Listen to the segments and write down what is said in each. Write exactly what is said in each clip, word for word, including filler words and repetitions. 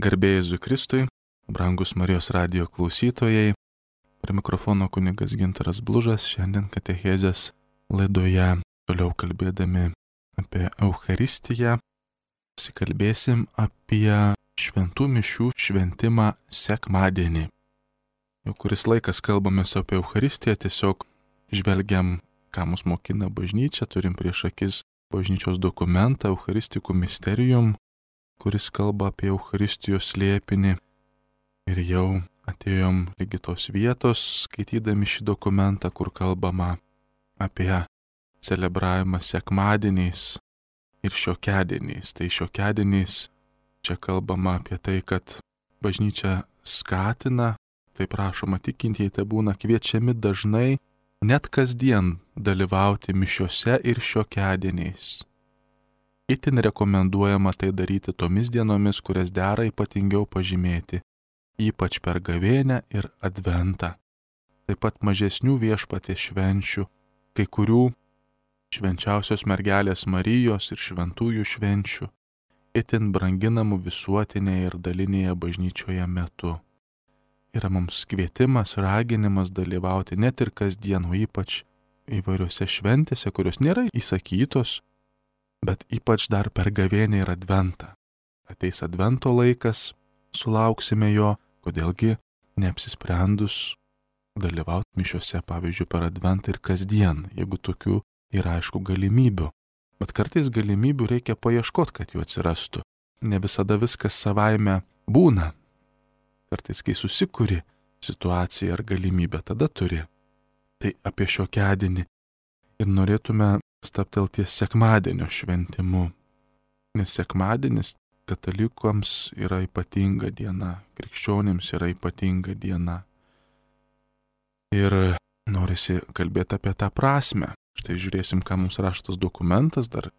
Garbė Jėzui Kristui, brangus Marijos radijo klausytojai, prie mikrofono kunigas Gintaras Blužas, šiandien katechezės laidoje toliau kalbėdami apie Eucharistiją, pasikalbėsim apie šventų mišių šventimą sekmadienį. Jau kuris laikas kalbamės apie Eucharistiją, tiesiog žvelgiam, ką mus mokina bažnyčia, turim prieš akis bažnyčios dokumentą Eucharisticum Mysterium, kuris kalba apie Eucharistijos slėpinį. Ir jau atėjom lygi tos vietos, skaitydami šį dokumentą, kur kalbama apie celebravimą sekmadieniais ir šiokiadieniais. Tai šiokiadieniais čia kalbama apie tai, kad bažnyčia skatina, taip prašoma tikintieji, tai būna kviečiami dažnai, net kasdien dalyvauti mišiose ir šiokiadieniais. Itin rekomenduojama tai daryti tomis dienomis, kurias dera ypatingiau pažymėti, ypač per gavėnią ir adventą. Taip pat mažesnių viešpaties švenčių, kai kurių švenčiausios mergelės Marijos ir šventųjų švenčių, itin branginamų visuotinėje ir dalinėje bažnyčioje metu. Yra mums kvietimas, raginimas dalyvauti net ir kasdien, o ypač įvairiose šventėse, kurios nėra įsakytos, bet ypač dar per gavėnią ir adventą. Ateis advento laikas, sulauksime jo, kodėlgi neapsisprendus dalyvauti mišiose, pavyzdžiui, per adventą ir kasdien, jeigu tokių yra aišku galimybių. Bet kartais galimybių reikia paieškoti, kad jų atsirastų. Ne visada viskas savaime būna. Kartais, kai susikuri situaciją ar galimybę, tada turi. Tai apie šiokiadienį ir norėtume stabtelti ties sekmadienio šventimu. Nes sekmadienis katalikams yra ypatinga diena, krikščionims yra ypatinga diena. Ir norisi kalbėti apie tą prasmę. Štai žiūrėsim, ką mums raštas dokumentas, dar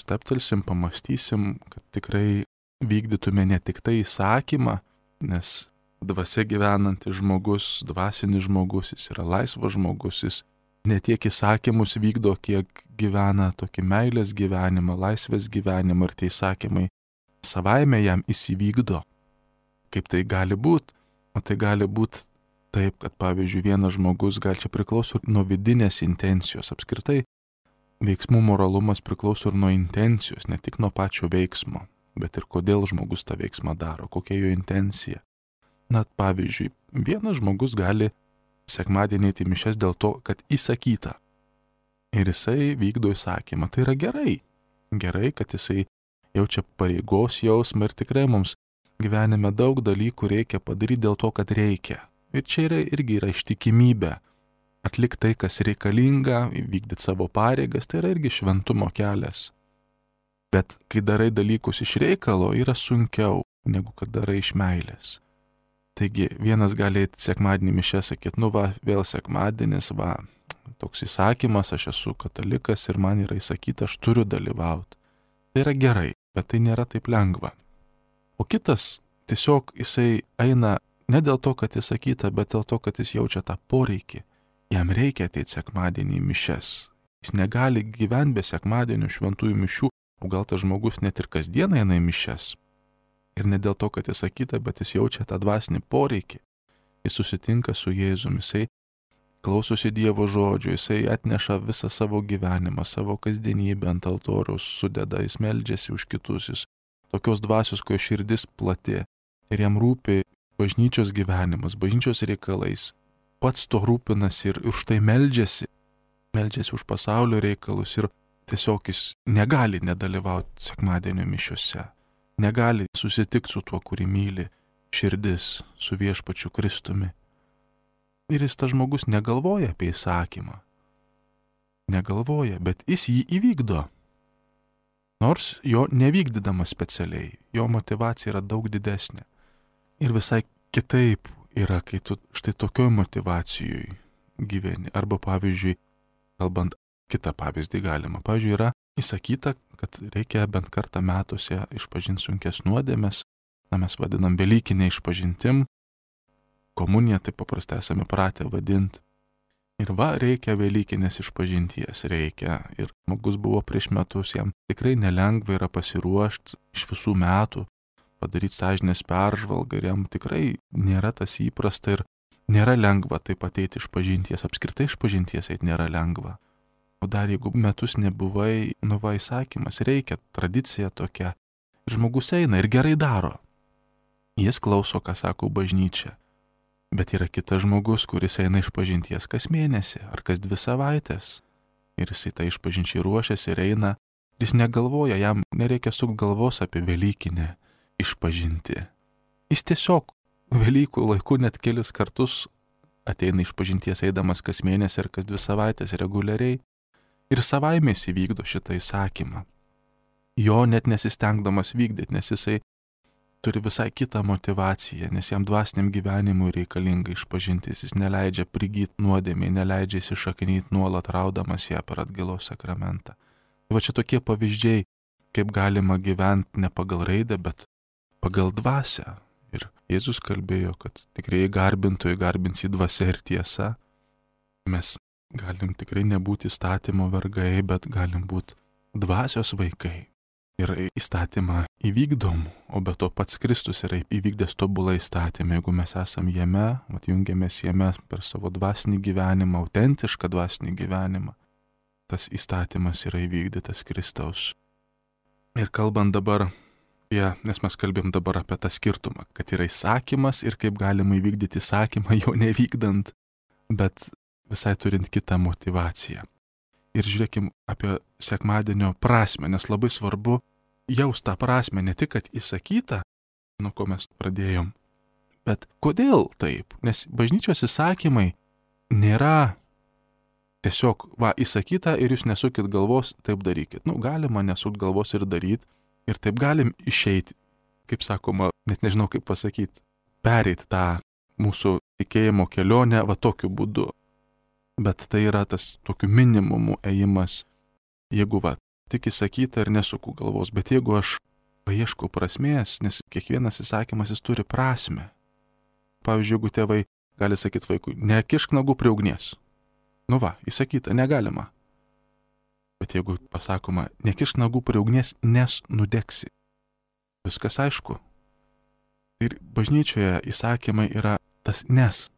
stabtelsim, pamastysim, kad tikrai vykdytume ne tik tai įsakymą, nes dvasia gyvenantis žmogus, dvasinis žmogus, jis yra laisvas žmogus, jis ne tiek įsakymus vykdo, kiek gyvena tokį meilės gyvenimą, laisvės gyvenimą, ir tie įsakymai savaime jam įsivykdo. Kaip tai gali būti? O tai gali būti taip, kad pavyzdžiui vienas žmogus gal čia priklauso nuo vidinės intencijos. Apskritai veiksmų moralumas priklauso ir nuo intencijos, ne tik nuo pačio veiksmo, bet ir kodėl žmogus tą veiksmą daro, kokia jo intencija. Na, pavyzdžiui, vienas žmogus gali sekmadienį eiti mišias dėl to, kad įsakyta. Ir jisai vykdo įsakymą. Tai yra gerai. Gerai, kad jisai jaučia pareigos jausmą, ir tikrai mums gyvenime daug dalykų reikia padaryti dėl to, kad reikia. Ir čia yra, irgi yra ištikimybė. Atlikti tai, kas reikalinga, vykdyti savo pareigas, tai yra irgi šventumo kelias. Bet kai darai dalykus iš reikalo, yra sunkiau, negu kad darai iš meilės. Taigi vienas gali eiti sekmadienį mišias, sakyti, nu va, vėl sekmadienis, va, toks įsakymas, aš esu katalikas ir man yra įsakyta, aš turiu dalyvauti. Tai yra gerai, bet tai nėra taip lengva. O kitas tiesiog jisai eina ne dėl to, kad įsakyta, bet dėl to, kad jis jaučia tą poreikį. Jam reikia ateiti sekmadienį į mišias. Jis negali gyventi be sekmadienio šventųjų mišių, o gal tas žmogus net ir kasdieną eina į mišias. Ir ne dėl to, kad jis sakyta, bet jis jaučia tą dvasinį poreikį. Jis susitinka su Jėzumi, jisai klausosi Dievo žodžio, jisai atneša visą savo gyvenimą, savo kasdienybę ant altoriaus sudeda, jis meldžiasi už kitus, jis tokios dvasios, kuo širdis plati. Ir jam rūpi bažnyčios gyvenimas, bažnyčios reikalais. Pats to rūpinasi ir už tai meldžiasi. Meldžiasi už pasaulio reikalus ir tiesiog jis negali nedalyvauti sekmadienio mišiuose. Negali susitikti su tuo, kurį myli širdis, su viešpačiu Kristumi. Ir jis tas žmogus negalvoja apie įsakymą. Negalvoja, bet jis jį įvykdo. Nors jo nevykdydamas specialiai, jo motyvacija yra daug didesnė. Ir visai kitaip yra, kai tu štai tokioj motyvacijoj gyveni. Arba pavyzdžiui, kalbant kitą pavyzdį galima. Pavyzdžiui, yra įsakyta, kad reikia bent kartą metuose išpažinti sunkes nuodėmes, na mes vadinam velykinė išpažintim, komuniją taip paprastai esame pratę vadinti. Ir va, reikia velykinės išpažinties, reikia. Ir žmogus buvo prieš metus, jam tikrai nelengva yra pasiruošti iš visų metų padaryti sąžinės peržvalgą ir jam tikrai nėra tas įprasta ir nėra lengva taip ateiti iš pažinties, apskritai iš pažinties eiti nėra lengva. O dar jeigu metus nebuvai, nu va įsakymas, reikia, tradicija tokia. Ir žmogus eina ir gerai daro. Jis klauso, ką sako bažnyčia. Bet yra kitas žmogus, kuris eina iš pažinties kas mėnesį ar kas dvi savaitės. Ir jisai tai iš pažinčiai ruošiasi ir eina. Jis negalvoja, jam nereikia sukti galvos apie Velykinę išpažinti. Jis tiesiog Velykų laiku net kelis kartus ateina iš pažinties eidamas kas mėnesį ar kas dvi savaitės reguliariai. Ir savaimės įvykdo šitą įsakymą. Jo net nesistengdamas vykdyti, nes jisai turi visai kitą motivaciją, nes jam dvasiniam gyvenimui reikalinga išpažintis, jis neleidžia prigyti nuodėmei, neleidžia įsišaknyti nuolat raudamas ją per atgailos sakramentą. Va čia tokie pavyzdžiai, kaip galima gyventi ne pagal raidę, bet pagal dvasią. Ir Jėzus kalbėjo, kad tikrai garbintojai garbins į dvasią ir tiesą. Mes galim tikrai nebūti įstatymo vergai, bet galim būti dvasios vaikai. Ir įstatymą įvykdom, o be to pats Kristus yra įvykdęs tobulą įstatymą. Jeigu mes esam jame, atjungiamės jame per savo dvasinį gyvenimą, autentišką dvasinį gyvenimą, tas įstatymas yra įvykdytas Kristaus. Ir kalbant dabar, ja, nes mes kalbėjom dabar apie tą skirtumą, kad yra įsakymas ir kaip galima įvykdyti įsakymą jo nevykdant, bet visai turint kitą motivaciją. Ir žiūrėkim apie sekmadienio prasmę, nes labai svarbu jaust tą prasmę, ne tik, kad įsakyta, nuo ko mes pradėjom, bet kodėl taip? Nes bažnyčios įsakymai nėra tiesiog, va, įsakyta ir jūs nesukit galvos, taip darykit. Nu, galima nesukti galvos ir daryti, ir taip galim išeiti, kaip sakoma, net nežinau kaip pasakyti, pereiti tą mūsų tikėjimo kelionę va tokiu būdu. Bet tai yra tas tokiu minimumu ėjimas, jeigu va, tik įsakyta ir nesuku galvos, bet jeigu aš paieškau prasmės, nes kiekvienas įsakymas jis turi prasmę. Pavyzdžiui, jeigu tėvai gali sakyti vaikui, nekišk nagų prie ugnies. Nu va, įsakyta, negalima. Bet jeigu pasakoma, nekišk nagų prie ugnies, nes nudegsi. Viskas aišku. Ir bažnyčioje įsakymai yra tas nes.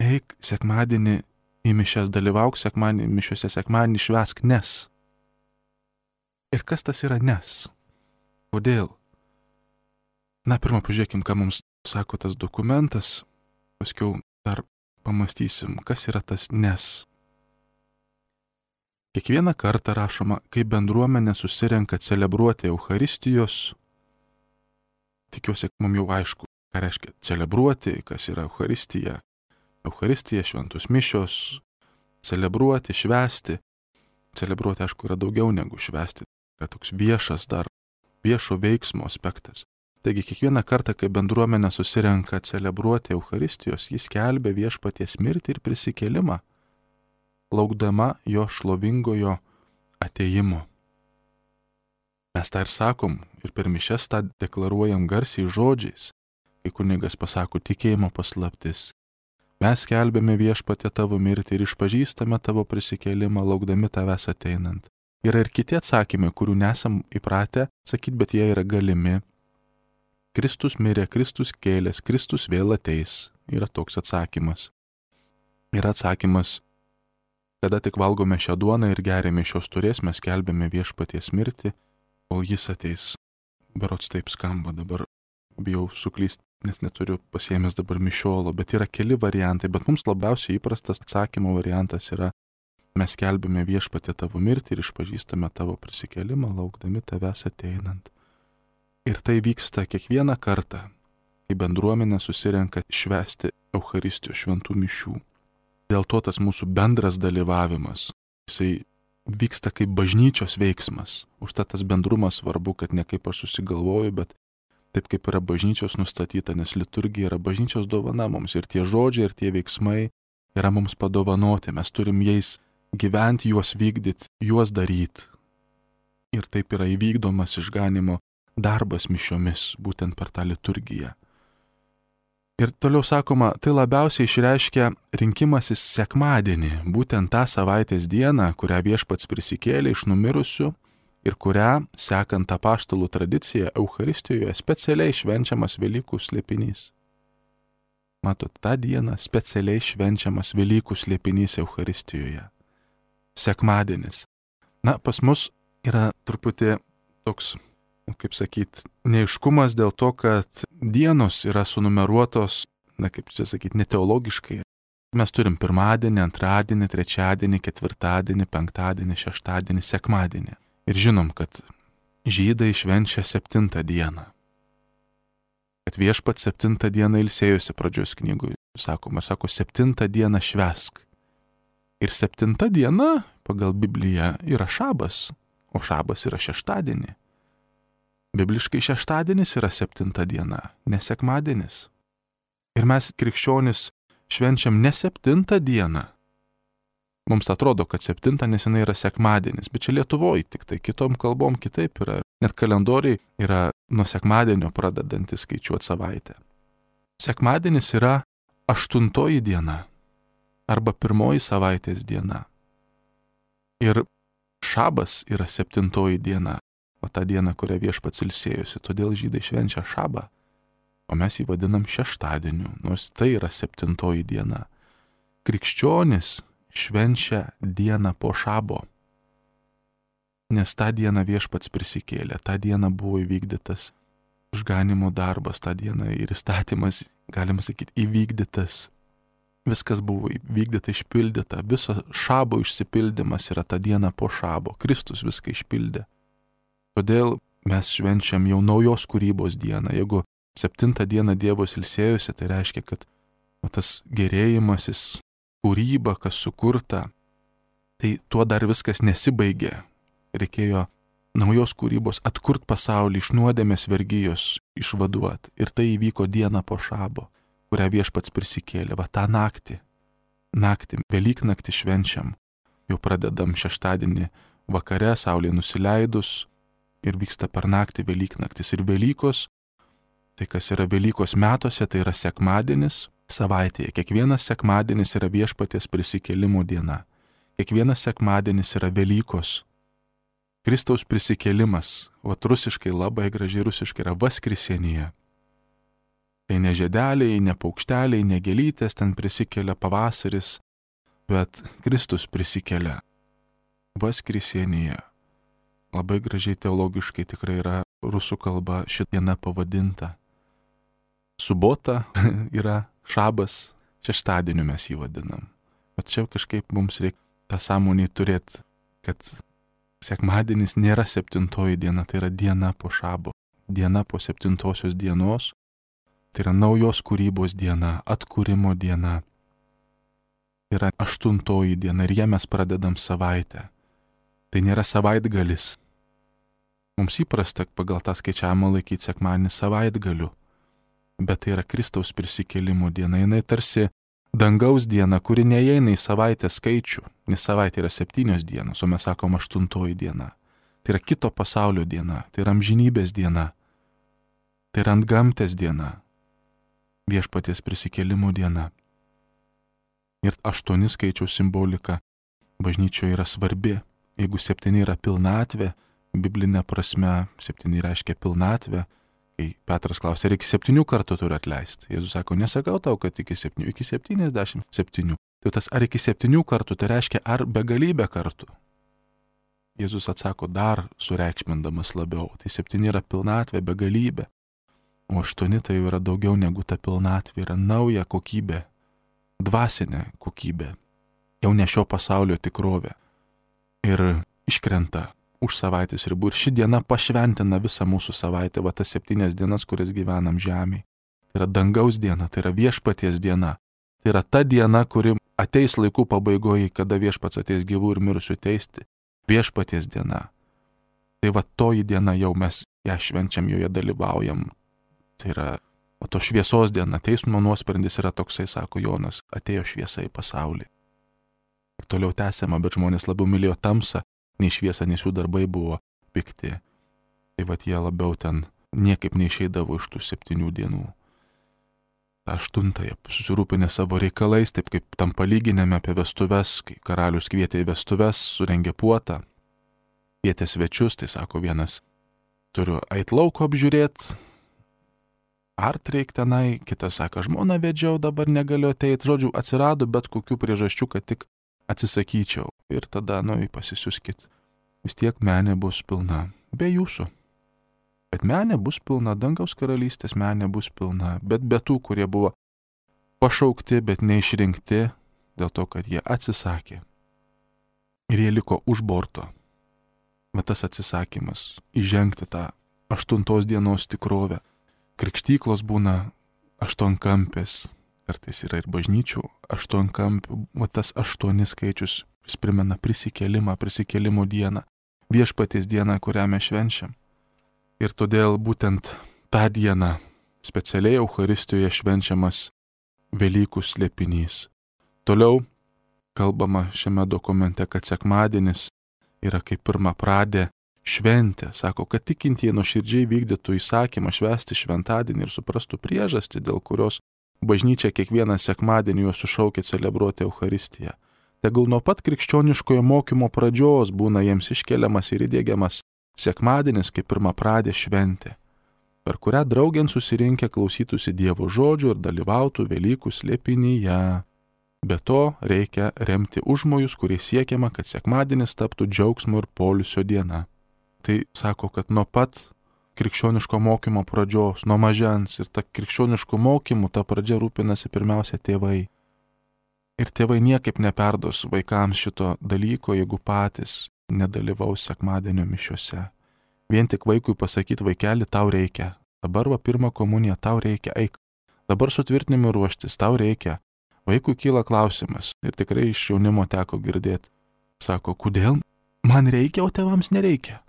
Eik sekmadienį į mišias, dalyvauk sekmadienį, mišiuose sekmadienį švęsk nes. Ir kas tas yra nes? Kodėl? Na, pirmą pažiūrėkim, ką mums sako tas dokumentas, paskiau dar pamastysim, kas yra tas nes. Kiekvieną kartą rašoma, kai bendruomenė susirenka celebruoti Eucharistijos, tikiuosi, mums jau aišku, ką reiškia celebruoti, kas yra Eucharistija. Eucharistija, šventus mišios, celebruoti, švęsti. Celebruoti, aišku, yra daugiau negu švęsti. Yra toks viešas dar, viešo veiksmo aspektas. Taigi, kiekvieną kartą, kai bendruomenė susirenka celebruoti Eucharistijos, jis skelbia viešpaties mirtį ir prisikėlimą, laukdama jo šlovingojo atėjimo. Mes tą ir sakom, ir per mišias tą deklaruojam garsiai žodžiais, kai kunigas pasako tikėjimo paslaptis. Mes skelbėme viešpatė tavo mirtį ir išpažįstame tavo prisikėlimą, laukdami tavęs ateinant. Yra ir kiti atsakymai, kurių nesam įpratę sakyti, bet jie yra galimi. Kristus mirė, Kristus kėlės, Kristus vėl ateis. Yra toks atsakymas. Yra atsakymas, kada tik valgome šią duoną ir geriame šios turės, mes skelbėme viešpaties mirtį, kol jis ateis. Berods taip skamba dabar, bijau suklysti, nes neturiu pasiėmęs dabar mišiolo, bet yra keli variantai, bet mums labiausiai įprastas atsakymo variantas yra, mes skelbėme viešpatė tavo mirtį ir išpažįstame tavo prisikėlimą, laukdami tavęs ateinant. Ir tai vyksta kiekvieną kartą, kai bendruomenė susirenka švęsti Eucharistijos šventų mišių. Dėl to tas mūsų bendras dalyvavimas, jisai vyksta kaip bažnyčios veiksmas. Užtat tas bendrumas svarbu, kad ne kaip aš susigalvoju, bet taip kaip yra bažnyčios nustatyta, nes liturgija yra bažnyčios dovana mums ir tie žodžiai ir tie veiksmai yra mums padovanoti, mes turim jais gyventi, juos vykdyti, juos daryti. Ir taip yra įvykdomas išganimo darbas mišiomis, būtent per tą liturgiją. Ir toliau sakoma, tai labiausiai išreiškia rinkimasis sekmadienį, būtent tą savaitės dieną, kurią viešpats prisikėlė iš numirusių ir kurią, sekant apaštalų tradiciją, Eucharistijoje specialiai švenčiamas Velykų slėpinys. Matot, tą dieną specialiai švenčiamas Velykų slėpinys Eucharistijoje. Sekmadienis. Na, pas mus yra truputį toks, kaip sakyt, neaiškumas dėl to, kad dienos yra sunumeruotos, na, kaip čia sakyt, neteologiškai. Mes turim pirmadienį, antradienį, trečiadienį, ketvirtadienį, penktadienį, šeštadienį, sekmadienį. Ir žinom, kad žydai švenčia septintą dieną. Kad viešpat septintą dieną ilsėjosi pradžios knygų. Sakoma, sako, septintą dieną švęsk. Ir septinta diena pagal Bibliją yra šabas, o šabas yra šeštadienį. Bibliškai šeštadienis yra septinta diena, ne sekmadienis. Ir mes krikščionis švenčiam ne septintą dieną. Mums atrodo, kad septinta nesenai yra sekmadienis, bet čia Lietuvoje tik tai kitom kalbom kitaip yra. Net kalendoriai yra nuo sekmadienio pradedantis skaičiuoti savaitę. Sekmadienis yra aštuntoji diena arba pirmoji savaitės diena. Ir šabas yra septintoji diena, o ta diena, kurią viešpats ilsėjosi, todėl žydai švenčia šabą, o mes jį vadinam šeštadieniu, nors tai yra septintoji diena. Krikščionis švenčia dieną po šabo, nes tą dieną viešpats prisikėlė, tą dieną buvo įvykdytas išganimo darbas, tą dieną ir įstatymas, galima sakyti, įvykdytas. Viskas buvo įvykdyta, išpildyta, viso šabo išsipildymas yra tą dieną po šabo, Kristus viską išpildė. Todėl mes švenčiam jau naujos kūrybos dieną. Jeigu septintą dieną Dievas ilsėjosi, tai reiškia, kad o, tas gerėjimasis, kūryba, kas sukurta, tai tuo dar viskas nesibaigė. Reikėjo naujos kūrybos atkurt pasaulį, iš nuodėmės vergijos išvaduot. Ir tai įvyko dieną po šabo, kurią viešpats prisikėlė. Va tą naktį, naktį, Velyknaktį švenčiam. Jau pradedam šeštadienį vakare, saulė nusileidus ir vyksta per naktį Velyknaktis. Ir Velykos, tai kas yra Velykos metuose, tai yra sekmadienis savaitėje. Kiekvienas sekmadienis yra viešpaties prisikėlimo diena. Kiekvienas sekmadienis yra Velykos. Kristaus prisikėlimas, o rusiškai labai gražiai rusiškai yra Vaskrisenija. Tai ne žiedeliai, ne paukšteliai, ne gėlytės, ten prisikelia pavasaris, bet Kristus prisikelia. Vaskrisenija. Labai gražiai teologiškai tikrai yra rusų kalba ši diena pavadinta. Subota yra šabas, šeštadieniu mes jį vadinam. Bet čia kažkaip mums reikia tą sąmonį turėti, kad sekmadienis nėra septintoji diena, tai yra diena po šabo. Diena po septintosios dienos, tai yra naujos kūrybos diena, atkūrimo diena. Tai yra aštuntoji diena ir ją mes pradedam savaitę. Tai nėra savaitgalis. Mums įprasta pagal tą skaičiavimą laikyti sekmadienį savaitgaliu, bet tai yra Kristaus prisikėlimo diena. Jinai tarsi dangaus diena, kuri neįeina į savaitės skaičių, nes savaitė yra septynios dienos, o mes sakom aštuntoji diena. Tai yra kito pasaulio diena, tai yra amžinybės diena, tai yra antgamtės diena, viešpaties prisikėlimo diena. Ir aštuoni skaičiaus simbolika bažnyčioje yra svarbi. Jeigu septyni yra pilnatvė, biblinė prasme septyni reiškia pilnatvę, kai Petras klausė, ar iki septynių kartų turi atleisti. Jėzus sako, nesakau tau, kad iki septynių, iki septyniasdešimt septynių. Tai tas ar iki septynių kartų, tai reiškia ar begalybę kartų. Jėzus atsako dar sureikšmindamas labiau. Tai septyni yra pilnatvė, begalybė, o aštuoni tai jau yra daugiau negu ta pilnatvė, yra nauja kokybė, dvasinė kokybė, jau ne šio pasaulio tikrovė. Ir iškrenta už savaitės ribų. Ir ši diena pašventina visą mūsų savaitę, va tas septynias dienas, kurias gyvenam žemėje. Tai yra dangaus diena, tai yra viešpaties diena. Tai yra ta diena, kuri ateis laikų pabaigoje, kada viešpats ateis gyvų ir mirusių teisti. Viešpaties diena. Tai va toji diena jau mes ją švenčiam, joje dalyvaujam. Tai yra, o to šviesos diena, teismo nuosprendis yra toksai, sako Jonas, atėjo šviesa į pasaulį. Ir toliau tęsiama, bet žmonės labiau mylėjo tamsą, nei šviesą, nes jų darbai buvo pikti. Tai vat jie labiau ten niekaip neišeidavo iš tų septynių dienų. Ta aštuntąją susirūpinę savo reikalais, taip kaip tam palyginėme apie vestuves, kai karalius kvietė į vestuves, surengė puotą. kvietė svečius, tai sako vienas, turiu eit lauko apžiūrėti, art reik tenai, kitas sako, žmoną vedžiau, dabar negaliu ateiti, žodžiu, atsirado bet kokių priežasčių, kad tik atsisakyčiau. Ir tada, nu, pasisiuskit. Vis tiek menė bus pilna, be jūsų. Bet menė bus pilna, dangaus karalystės menė bus pilna, bet be tų, kurie buvo pašaukti, bet neišrinkti, dėl to, kad jie atsisakė. Ir jie liko už borto. Bet tas atsisakymas, įžengti tą aštuntos dienos tikrovę. Krikštyklos būna aštuonkampės, kartais yra ir bažnyčių aštuonkampių, o tas aštuoni skaičius vis primena prisikėlimą, prisikėlimo dieną, viešpaties dieną, kurią mes švenčiam. Ir todėl būtent tą dieną specialiai Eucharistijoje švenčiamas Velykų slėpinys. Toliau kalbama šiame dokumente, kad sekmadienis yra kaip pirmapradė šventė. Sako, kad tikintieji nuoširdžiai vykdytų įsakymą švęsti šventadienį ir suprastų priežastį, dėl kurios bažnyčia kiekvieną sekmadienį juos sušaukia celebruoti Eucharistiją. Tegul nuo pat krikščioniškojo mokymo pradžios būna jiems iškeliamas ir įdiegiamas sekmadienis kaip pirmapradė šventė, per kurią draugėn susirinkę klausytųsi Dievo žodžių ir dalyvautų Velykų slėpinyje. Be to reikia remti užmojus, kurie siekiama, kad sekmadienis taptų džiaugsmo ir poilsio diena. Tai sako, kad nuo pat krikščioniško mokymo pradžios, nuo mažens ir ta krikščioniškų mokymų ta pradžia rūpinasi pirmiausia tėvai. Ir tėvai niekaip neperdos vaikams šito dalyko, jeigu patys nedalyvaus sekmadienio mišiuose. Vien tik vaikui pasakyti, vaikeli, tau reikia. Dabar va pirmą komuniją, tau reikia, eik. Dabar sutvirtinimui ruoštis, tau reikia. Vaikui kyla klausimas ir tikrai iš jaunimo teko girdėti. Sako, kodėl man reikia, o tėvams nereikia?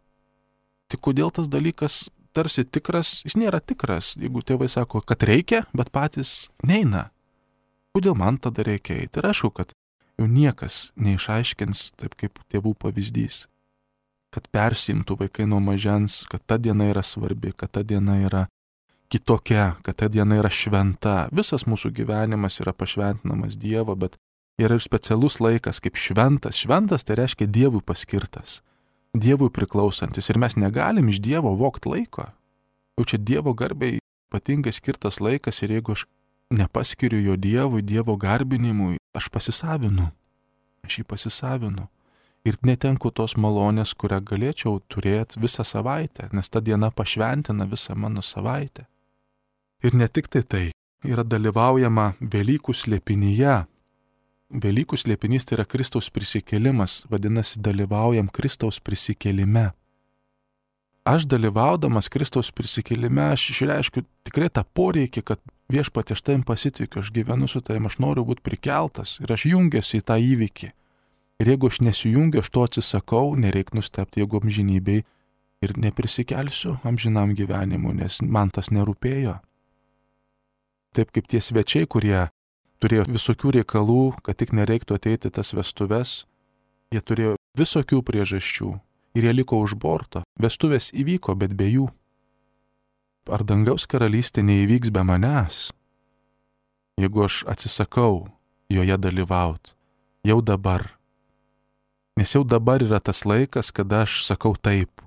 Tik kodėl tas dalykas tarsi tikras, jis nėra tikras, jeigu tėvai sako, kad reikia, bet patys neina. Kodėl man tada reikia eiti? Ir aišku, kad jau niekas neišaiškins taip kaip tėvų pavyzdys. Kad persimtų vaikai nuo mažens, kad ta diena yra svarbi, kad ta diena yra kitokia, kad ta diena yra šventa. Visas mūsų gyvenimas yra pašventinamas Dievo, bet yra ir specialus laikas kaip šventas. Šventas tai reiškia Dievui paskirtas, Dievui priklausantis ir mes negalim iš Dievo vogt laiko. Jau čia Dievo garbiai ypatingai skirtas laikas ir jeigu aš nepaskiriu jo Dievui, Dievo garbinimui, aš pasisavinu, aš jį pasisavinu. Ir netenku tos malonės, kurią galėčiau turėti visą savaitę, nes ta diena pašventina visą mano savaitę. Ir ne tik tai tai, yra dalyvaujama Velykų slėpinyje. Velykų slėpinys tai yra Kristaus prisikėlimas, vadinasi, dalyvaujam Kristaus prisikėlime. Aš dalyvaudamas Kristaus prisikėlime, aš išreiškiu tikrai tą poreikį, kad viešpatie aš tavim pasitikiu, aš gyvenu su tavim, aš noriu būti prikeltas ir aš jungiuosi į tą įvykį. Ir jeigu aš nesijungiu, aš to atsisakau, nereik nustebti, jeigu amžinybei ir neprisikelsiu amžinam gyvenimui, nes man tas nerūpėjo. Taip kaip tie svečiai, kurie turėjo visokių reikalų, kad tik nereiktų ateiti tas vestuves, jie turėjo visokių priežasčių ir jie liko už borto. Vestuvės įvyko, bet be jų. Ar dangaus karalystė neįvyks be manęs? Jeigu aš atsisakau joje dalyvauti, jau dabar. Nes jau dabar yra tas laikas, kada aš sakau taip.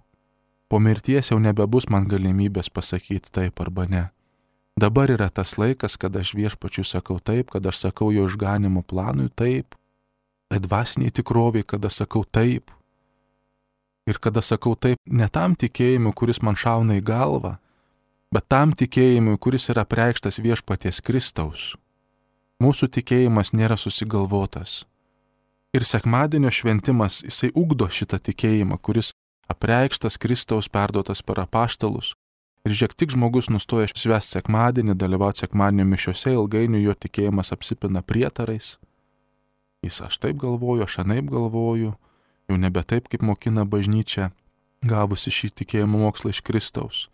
Po mirties jau nebebus man galimybės pasakyti taip arba ne. Dabar yra tas laikas, kada aš viešpačiui sakau taip, kada aš sakau jo išganimo planui taip. Tai dvasiniai tikroviai, kada sakau taip. Ir kada sakau taip ne tam tikėjimui, kuris man šauna į galvą, bet tam tikėjimui, kuris yra apreikštas viešpaties Kristaus. Mūsų tikėjimas nėra susigalvotas. Ir sekmadienio šventimas, jisai ugdo šitą tikėjimą, kuris apreikštas Kristaus perduotas per apaštalus. Ir žiūrėk, tik žmogus nustoja švęsti sekmadienį, dalyvauti sekmadienio mišiuose, ilgainiui jo tikėjimas apsipina prietarais. Jis aš taip galvoju, aš anaip galvoju, jau nebe taip, kaip mokina bažnyčia, gavusi šį tikėjimo mokslą iš Kristaus.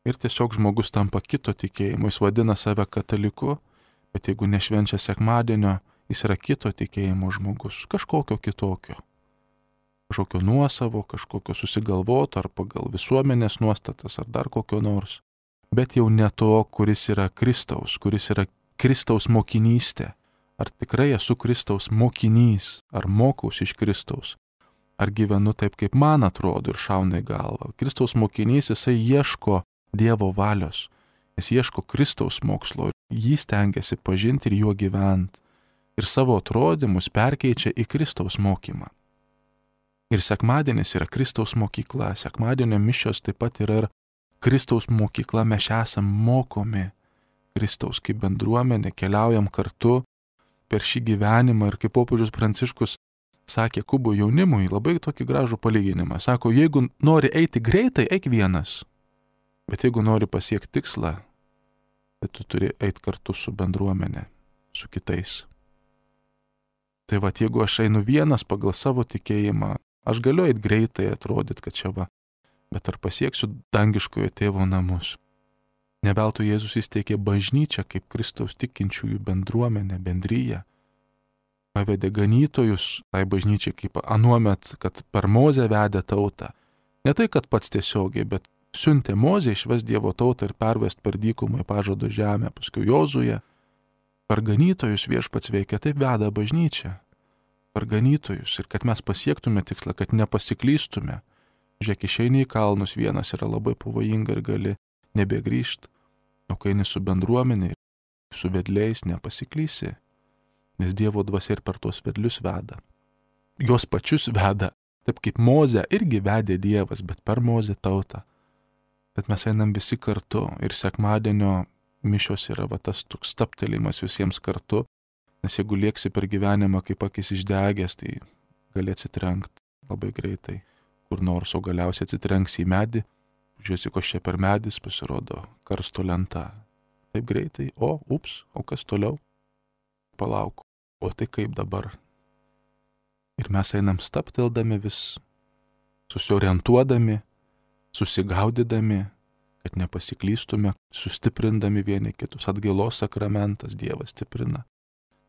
Ir tiesiog žmogus tampa kito tikėjimo, jis vadina save kataliku, bet jeigu nešvenčia sekmadienio, jis yra kito tikėjimo žmogus, kažkokio kitokio. Kažkokio nuosavo, kažkokio susigalvoto ar pagal visuomenės nuostatas ar dar kokio nors. Bet jau ne to, kuris yra Kristaus, kuris yra Kristaus mokinystė. Ar tikrai esu Kristaus mokinys, ar mokausi iš Kristaus. ar gyvenu taip, kaip man atrodo ir šauna į galvą. Kristaus mokinys, jisai ieško Dievo valios, jis ieško Kristaus mokslo, jį stengiasi pažinti ir juo gyventi. Ir savo atrodymus perkeičia į Kristaus mokymą. Ir sekmadienis yra Kristaus mokykla, sekmadienio mišios taip pat yra ir Kristaus mokykla, mes esam mokomi Kristaus kaip bendruomenė, keliaujam kartu per šį gyvenimą ir kaip popiežius Pranciškus sakė Kubų jaunimui labai tokį gražų palyginimą. Sako, jeigu nori eiti greitai, eik vienas, bet jeigu nori pasiekti tikslą, tai tu turi eiti kartu su bendruomenė, su kitais. Tai va, jeigu aš einu vienas pagal savo tikėjimą, aš galiu eiti greitai, atrodyti, kad čia va, bet ar pasieksiu dangiškojo tėvo namus? Ne veltui Jėzus įsteigė bažnyčią kaip Kristaus tikinčiųjų bendruomenę, bendryją. Pavedė ganytojus tai bažnyčiai kaip anuomet, kad per Mozę vedė tautą. Ne tai, kad pats tiesiogiai, bet siuntė Mozę išvest Dievo tautą ir pervest per dykumą į pažado žemę, paskui Jozują. Per ganytojus viešpats veikia, taip veda bažnyčia. Per ganytojus ir kad mes pasiektume tikslą, kad nepasiklystume. Žiūrėk, išeini į kalnus vienas yra labai pavojinga ir gali nebegrįžti. O kai eini su bendruomenė, su vedliais nepasiklysi, nes Dievo dvasia ir per tuos vedlius veda. Jos pačius veda, taip kaip Mozę irgi vedė Dievas, bet per Mozę tautą. Bet mes einam visi kartu ir sekmadienio mišios yra va tas toks staptelėjimas visiems kartu, nes jeigu lieksi per gyvenimą kaip akis išdegęs, tai gali atsitrenkti labai greitai kur nors, o galiausiai atsitrenksi į medį, žiūrėsi, ko čia per medis pasirodo karsto lenta. Taip greitai, o, ups, o kas toliau? Palauk, o tai kaip dabar? Ir mes einam stapteldami vis, susiorientuodami, susigaudydami, kad nepasiklystume, sustiprindami vieni kitus. Atgailos sakramentas Dievas stiprina,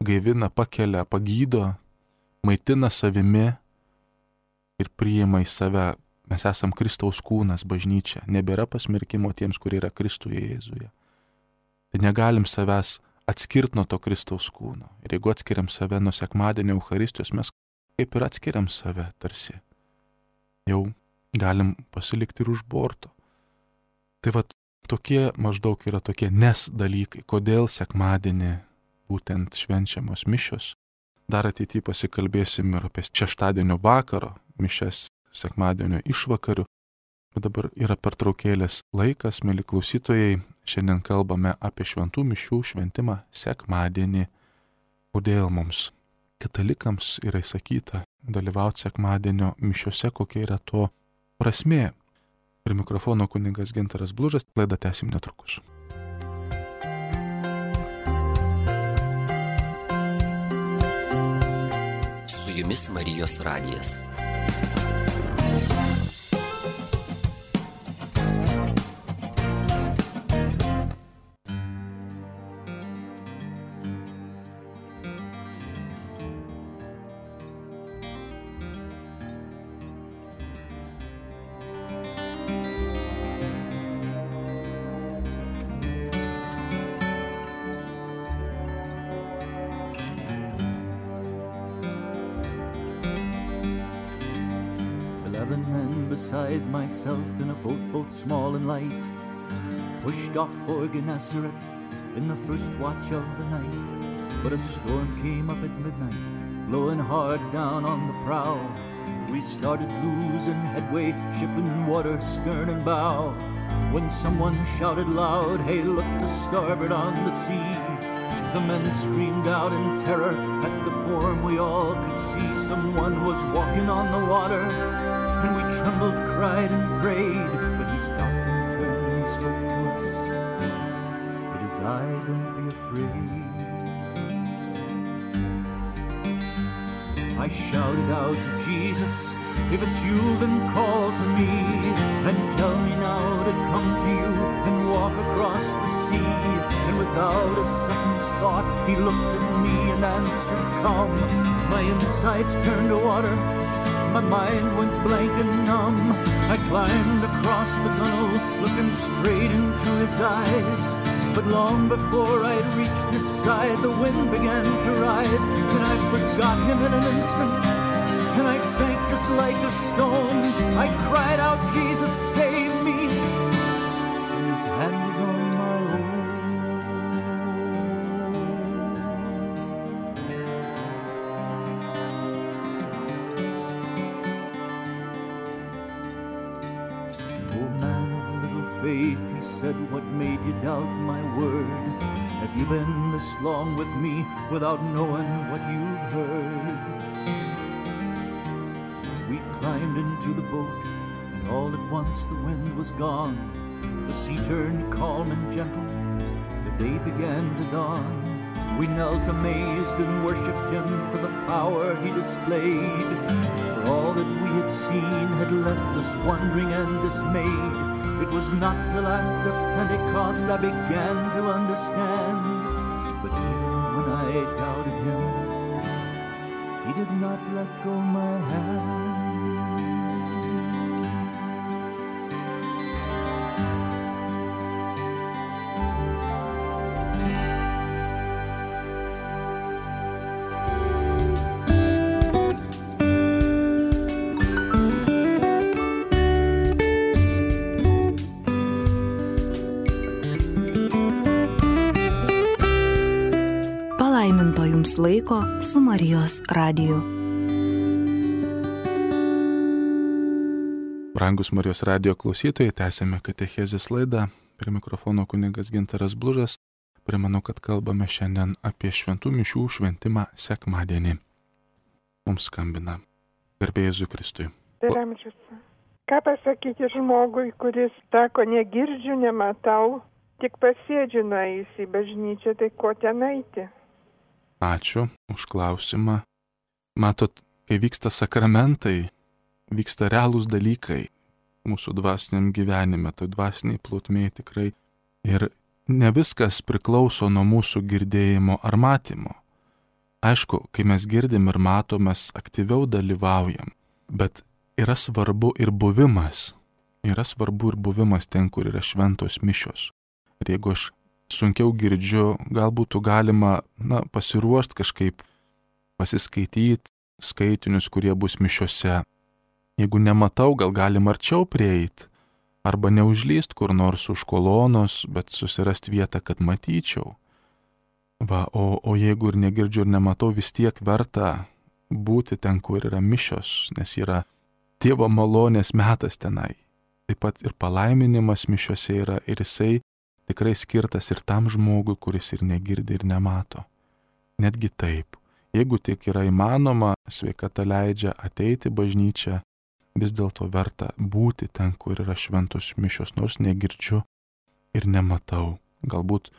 gaivina, pakelia, pagydo, maitina savimi ir priima į save. Mes esam Kristaus kūnas, bažnyčia. Nebėra pasmerkimo tiems, kurie yra Kristuje Jėzuje. Tai negalim savęs atskirti nuo to Kristaus kūno. Ir jeigu atskiriam save nuo sekmadienio Eucharistijos, mes kaip ir atskiriam save tarsi. Jau galim pasilikti ir už borto. Tai va, tokie maždaug yra tokie nes dalykai, kodėl sekmadienį būtent švenčiamos mišios. Dar ateityje pasikalbėsim ir apie šeštadienio vakaro mišias, sekmadienio išvakarių. Bet dabar yra pertraukėlės laikas, mėly klausytojai. Šiandien kalbame apie šventų mišių šventimą sekmadienį. Kodėl mums, katalikams, yra įsakyta dalyvauti sekmadienio mišiose, kokia yra to prasmė. Prie mikrofono kunigas Gintaras Blužas, laidą tęsim netrukus. Su jumis Marijos radijas. Eleven men beside myself in a boat both small and light pushed off for Gennesaret in the first watch of the night. But a storm came up at midnight, blowing hard down on the prow. We started losing headway, ship in water stern and bow, when someone shouted loud, "Hey, look to starboard on the sea." The men screamed out in terror at the form we all could see. Someone was walking on the water, and we trembled, cried and prayed. But he stopped and turned and he spoke to us. "It is I, don't be afraid." I shouted out to Jesus, "If it's you, then call to me, and tell me now to come to you and walk across the sea." And without a second's thought, he looked at me and answered, "Come." My insides turned to water, my mind went blank and numb. I climbed across the gunwale, looking straight into his eyes. But long before I'd reached his side, the wind began to rise, and I forgot him in an instant. and I sank just like a stone. I cried out, Jesus, save me, and his hand was on my own. Oh man of little faith, he said, what made you doubt my word? Have you been this long with me without knowing what you've heard? We climbed into the boat, and all at once the wind was gone. The sea turned calm and gentle, the day began to dawn. We knelt amazed and worshipped him for the power he displayed. For all that we had seen had left us wondering and dismayed. It was not till after Pentecost I began to understand. But even when I doubted him, he did not let go my hand. Palaiminto jums laiko su Marijos radiju. Brangus Marijos radijo klausytojai, tęsėme katechezės laidą. Prie mikrofono kunigas Gintaras Blužas. Primenu, kad kalbame šiandien apie šventų mišių šventimą sekmadienį. Mums skambina garbė Jėzui Kristui. Per amžius. Ką pasakyti žmogui, kuris sako, negirdžiu, nematau, tik pasėdžiu nuėjus į bažnyčią, tai ko ten eiti? Ačiū už klausimą. Matot, kai vyksta sakramentai, vyksta realūs dalykai mūsų dvasiniam gyvenime, tai dvasiniai plotmėje tikrai. Ir ne viskas priklauso nuo mūsų girdėjimo ar matymo. Aišku, kai mes girdim ir matom, mes aktyviau dalyvaujam, bet yra svarbu ir buvimas. Yra svarbu ir buvimas ten, kur yra šventos mišios. Ir jeigu aš sunkiau girdžiu, gal būtų galima na, pasiruošti kažkaip, pasiskaityti skaitinius, kurie bus mišiose. Jeigu nematau, gal galim arčiau prieiti, arba neužlyst kur nors už kolonos, bet susirasti vietą, kad matyčiau. Va, o, o jeigu ir negirdžiu ir nematau, vis tiek verta būti ten, kur yra mišios, nes yra Dievo malonės metas tenai. Taip pat ir palaiminimas mišiose yra ir jisai tikrai skirtas ir tam žmogui, kuris ir negirdi ir nemato. Netgi taip, jeigu tik yra įmanoma, sveikata leidžia ateiti bažnyčią, vis dėlto verta būti ten, kur yra šventos mišios, nors negirdžiu ir nematau. Galbūt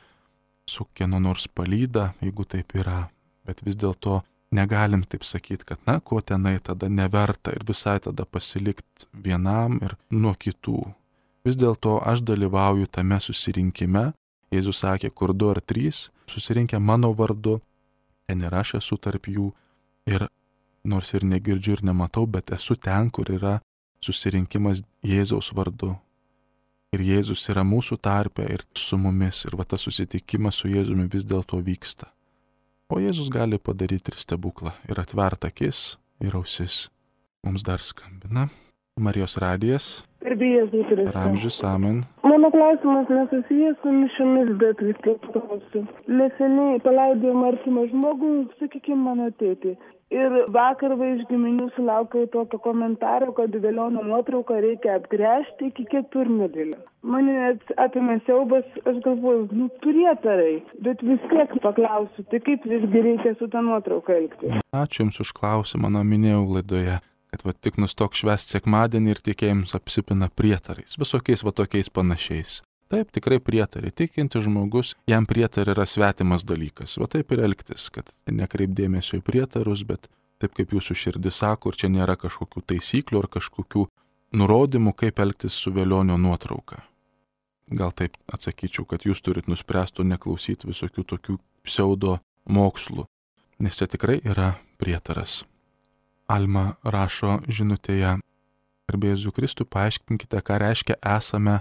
su kieno nors palyda, jeigu taip yra, bet vis dėlto negalim taip sakyti, kad na, ko tenai tada neverta ir visai tada pasilikti vienam ir nuo kitų. Vis dėlto aš dalyvauju tame susirinkime. Jėzus sakė, kur du ar trys susirinkę mano vardu, ten ir aš esu tarp jų. Ir nors ir negirdžiu ir nematau, bet esu ten, kur yra susirinkimas Jėzaus vardu. Ir Jėzus yra mūsų tarpe ir su mumis. Ir va tas susitikimas su Jėzumi vis dėlto vyksta. O Jėzus gali padaryti ir stebuklą. Ir atvert akis ir ausis. Mums dar skambina Marijos radijas. Ir amžius, amen. Mano klausimas nesusijęs su mišiomis, bet vis tiek klausiu. Neseniai palaidojom artimą žmogų, sakykime, mano tėtį. Ir vakar va iš giminių sulaukiau tokio komentaro, kad velionio nuotrauką reikia apgręžti iki keturmedėlio. Mane apėmė siaubas, aš galvoju, nu prietarai, bet vis tiek paklausiu, tai kaip visgi reikia su ta nuotrauka elgtis? Ačiū Jums už klausimą, na minėjau laidoje, kad va tik nustok švęsti sekmadienį ir tikėjimus apsipina prietarais, visokiais va tokiais panašiais. Taip, tikrai prietarai, tikinti žmogus, jam prietarai yra svetimas dalykas, va taip ir elgtis, kad nekreip dėmesio į prietarus, bet taip kaip jūsų širdis sako, ir čia nėra kažkokių taisyklių ar kažkokių nurodymų, kaip elgtis su velionio nuotrauka. Gal taip atsakyčiau, kad jūs turit nuspręsti neklausyti visokių tokių pseudo mokslų, nes čia tikrai yra prietaras. Alma rašo žinutėje, garbė Jėzui Kristui, paaiškinkite, ką reiškia esame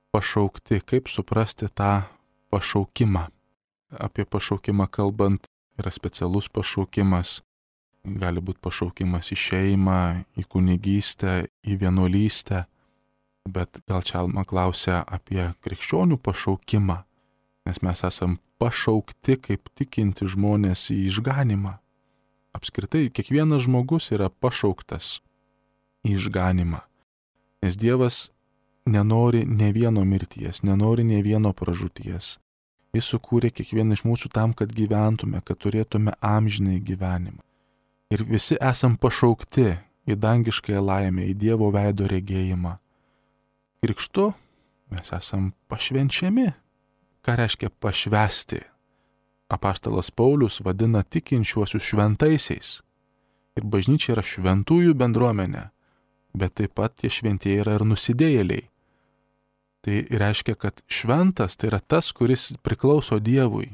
pašaukti, kaip suprasti tą pašaukimą. Apie pašaukimą kalbant, yra specialus pašaukimas, gali būti pašaukimas į šeimą, į kunigystę, į vienuolystę, bet gal čia Alma klausia apie krikščionių pašaukimą, nes mes esam pašaukti kaip tikinti žmonės į išganimą. Apskritai, kiekvienas žmogus yra pašauktas į išganimą, nes Dievas nenori ne vieno mirties, nenori ne vieno pražūties. Jis sukūrė kiekvieną iš mūsų tam, kad gyventume, kad turėtume amžinai gyvenimą. Ir visi esam pašaukti į dangiškąją laimę, į Dievo veido regėjimą. Krikštu mes esam pašvenčiami. Ką reiškia pašvesti? Apaštalas Paulius vadina tikinčiuosius šventaisiais. Ir bažnyčia yra šventųjų bendruomenė, bet taip pat tie šventieji yra ir nusidėjėliai. Tai reiškia, kad šventas tai yra tas, kuris priklauso Dievui.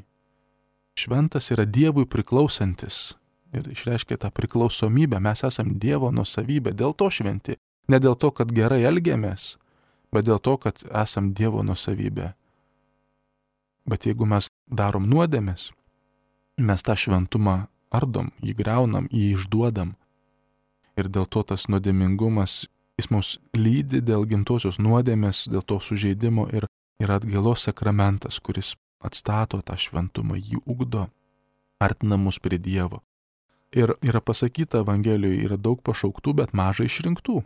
Šventas yra Dievui priklausantis. Ir išreiškia tą priklausomybę, mes esam Dievo nuosavybė, dėl to šventi. Ne dėl to, kad gerai elgiamės, bet dėl to, kad esam Dievo nuosavybė. Bet jeigu mes darom nuodėmes, mes tą šventumą ardom, jį greunam, jį išduodam. Ir dėl to tas nuodėmingumas, jis mus lydi dėl gimtosios nuodėmės, dėl to sužeidimo ir yra atgailos sakramentas, kuris atstato tą šventumą, jį ugdo, artina mus prie Dievo. Ir yra pasakyta Evangelijoje, yra daug pašauktų, bet mažai išrinktų.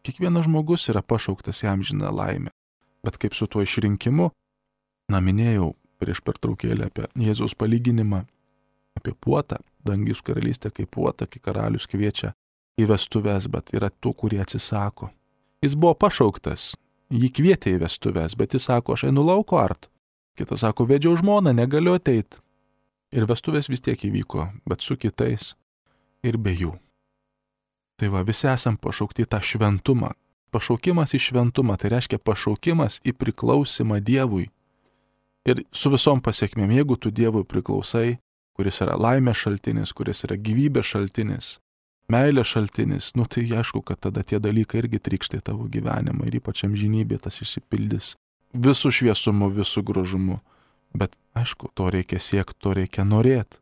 Kiekvienas žmogus yra pašauktas į amžiną laimę. Bet kaip su tuo išrinkimu, na minėjau prieš pertraukėlę apie Jėzaus palyginimą, apie puotą, dangius karalystė kaip puota, kai karalius kviečia į vestuves, bet yra tų, kurie atsisako. Jis buvo pašauktas, jį kvietė į vestuves, bet jis sako, aš einu lauko art. Kitas sako, vedžiau žmoną, negaliu ateit. Ir vestuvės vis tiek įvyko, bet su kitais ir be jų. Tai va, visi esam pašaukti tą šventumą. Pašaukimas į šventumą, tai reiškia pašaukimas į priklausimą Dievui. Ir su visom pasiekmėm, jeigu tu Dievui priklausai, kuris yra laimės šaltinis, kuris yra gyvybės šaltinis, meilės šaltinis, nu tai aišku, kad tada tie dalykai irgi trykštai tavo gyvenimą ir ypač amžinybė tas išsipildys visų šviesumu, visų grožumu. Bet aišku, to reikia siekti, to reikia norėti.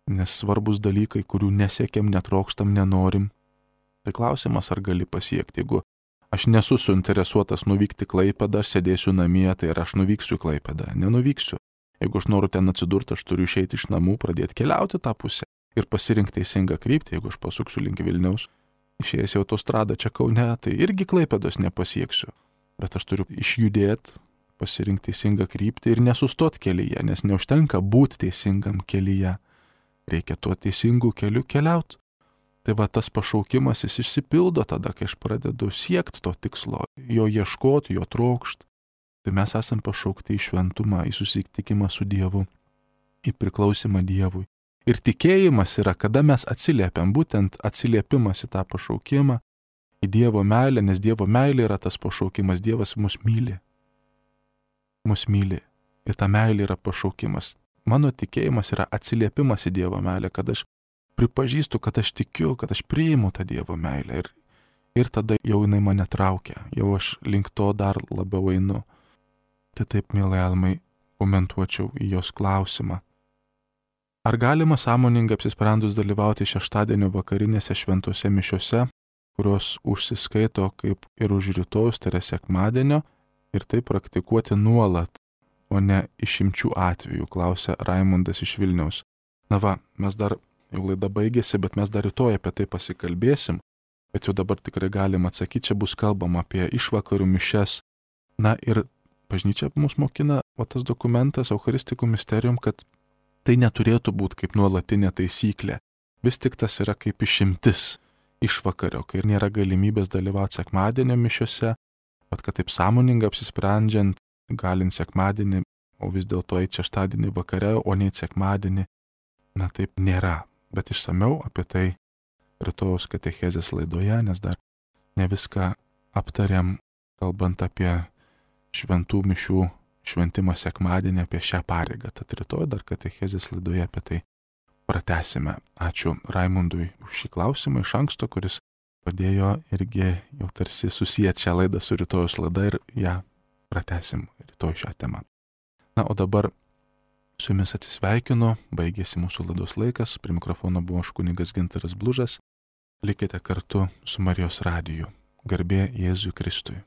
Nes svarbus dalykai, kurių nesiekiam, netrokštam, nenorim. Tai klausimas, ar gali pasiekti. Jeigu aš nesu suinteresuotas nuvykti Klaipėdą, aš sėdėsiu namie, tai ar aš nuvyksiu Klaipėdą? Nenuvyksiu. Jeigu aš noriu ten atsidurti, aš turiu išeiti iš namų, pradėti keliauti tą pusę ir pasirinkti teisingą kryptį. Jeigu aš pasuksiu link Vilniaus, išėjęs į autostradą čia Kaune, tai irgi Klaipėdos nepasieksiu. Bet aš turiu išjudėti, pasirinkti teisingą kryptį ir nesustot kelyje, nes neužtenka būti teisingam kelyje. Reikia tuo teisingu keliu keliauti. Tai va tas pašaukimas jis išsipildo tada, kai aš pradedu siekti to tikslo, jo ieškoti, jo trokšti. Tai mes esam pašaukti į šventumą, į susitikimą su Dievu, į priklausimą Dievui. Ir tikėjimas yra, kada mes atsiliepiam, būtent atsiliepimas į tą pašaukimą, į Dievo meilę, nes Dievo meilė yra tas pašaukimas, Dievas mus myli. Mus myli. Ir ta meilė yra pašaukimas. Mano tikėjimas yra atsiliepimas į Dievo meilę, kad aš pripažįstu, kad aš tikiu, kad aš priimu tą Dievo meilę. Ir, ir tada jau jinai mane traukia, jau aš link to dar labiau einu. Tai taip, mielai Almai, komentuočiau į jos klausimą. Ar galima sąmoningai apsisprendus dalyvauti šeštadienio vakarinėse šventose mišiose, kurios užsiskaito kaip ir už rytojus, tai yra sekmadienio, ir tai praktikuoti nuolat, o ne išimčių atveju, klausia Raimundas iš Vilniaus. Na va, mes dar, jau laida baigėsi, bet mes dar rytoj apie tai pasikalbėsim, bet jau dabar tikrai galim atsakyti, čia bus kalbama apie išvakarių mišias. Na ir bažnyčia mus mokina, o tas dokumentas Eucharistikų misterijum, kad tai neturėtų būti kaip nuolatinė taisyklė. Vis tik tas yra kaip išimtis išvakario, kai ir nėra galimybės dalyvauti sekmadienio mišiose, bet kad taip sąmoningai apsisprendžiant, galint sekmadienį, o vis dėlto eiti šeštadienį vakare, o ne sekmadienį, na taip nėra. Bet išsamiau apie tai rytojaus katechezės laidoje, nes dar ne viską aptariam, kalbant apie šventų mišių šventimą sekmadienį, apie šią pareigą. Tad rytoj dar katechezės laidoje apie tai pratęsime. Ačiū Raimundui už šį klausimą iš anksto, kuris padėjo irgi jau tarsi susijęti šią laidą su rytojus laida ir ją pratęsim rytoj šią temą. Na, o dabar Su jumis atsisveikinu, baigėsi mūsų laidos laikas, prie mikrofono buvo aš kunigas Gintaras Blužas. Likite kartu su Marijos radiju. Garbė Jėzui Kristui.